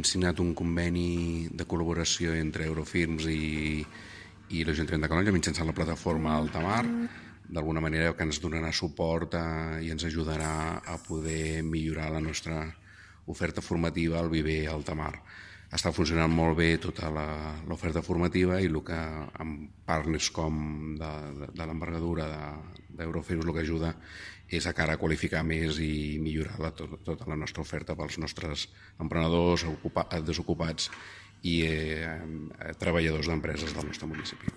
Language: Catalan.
signat un conveni de col·laboració entre Eurofirms i l'Ajuntament de Calonge mitjançant la plataforma Altamar, d'alguna manera que ens donarà suport i ens ajudarà a poder millorar la nostra oferta formativa al Viver Altamar. Està funcionant molt bé tota l'oferta formativa i el que amb partners com de l'envergadura d'Eurofirms el que ajuda és a cara a qualificar més i millorar tota la nostra oferta pels nostres emprenedors, desocupats i treballadors d'empreses del nostre municipi.